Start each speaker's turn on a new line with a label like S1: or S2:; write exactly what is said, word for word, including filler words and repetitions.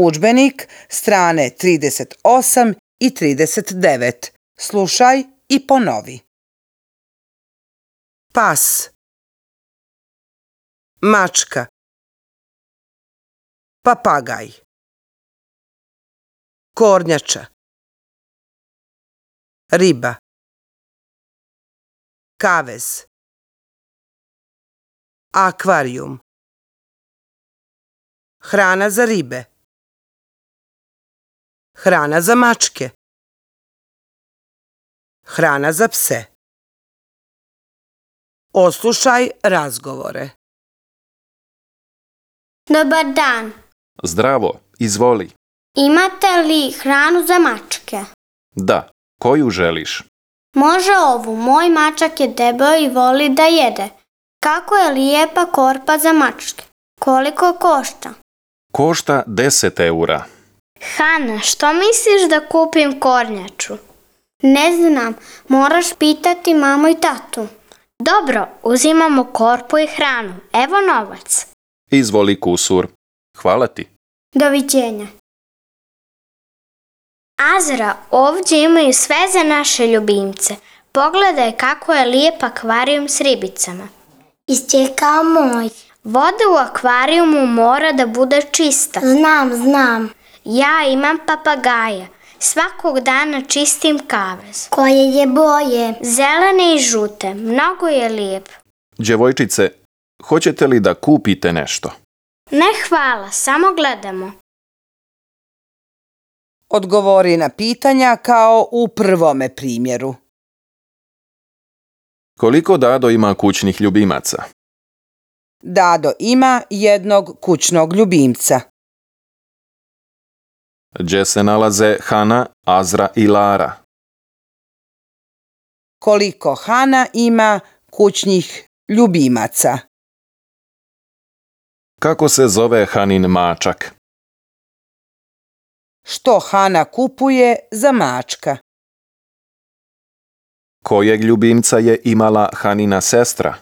S1: Udžbenik, strane trideset osam i trideset devet. Slušaj i ponovi. Pas, mačka, papagaj, kornjača, riba, kavez, akvarijum, hrana za ribe, hrana za mačke, hrana za pse. Oslušaj razgovore.
S2: Dobar dan.
S3: Zdravo, izvoli.
S2: Imate li hranu za mačke?
S3: Da, koju želiš?
S2: Može ovu, moj mačak je debeo i voli da jede. Kako je lijepa korpa za mačke? Koliko košta?
S3: Košta deset eura.
S2: Hana, što misliš da kupim kornjaču? Ne znam, moraš pitati mamu i tatu. Dobro, uzimamo korpu i hranu. Evo novac.
S3: Izvoli kusur. Hvala ti.
S2: Doviđenja. Azra, ovdje imaju sve za naše ljubimce. Pogledaj kako je lijep akvarijum s ribicama. Isti kao moj. Voda u akvarijumu mora da bude čista. Znam, znam. Ja imam papagaja. Svakog dana čistim kavez. Koje je boje? Zelene i žute. Mnogo je lijep.
S3: Djevojčice, hoćete li da kupite nešto?
S2: Ne hvala, samo gledamo.
S1: Odgovori na pitanja kao u prvome primjeru.
S3: Koliko Dado ima kućnih ljubimaca?
S1: Dado ima jednog kućnog ljubimca.
S3: Gdje se nalaze Hana, Azra i Lara?
S1: Koliko Hana ima kućnih ljubimaca?
S3: Kako se zove Hanin mačak?
S1: Što Hana kupuje za mačka?
S3: Kojeg ljubimca je imala Hanina sestra?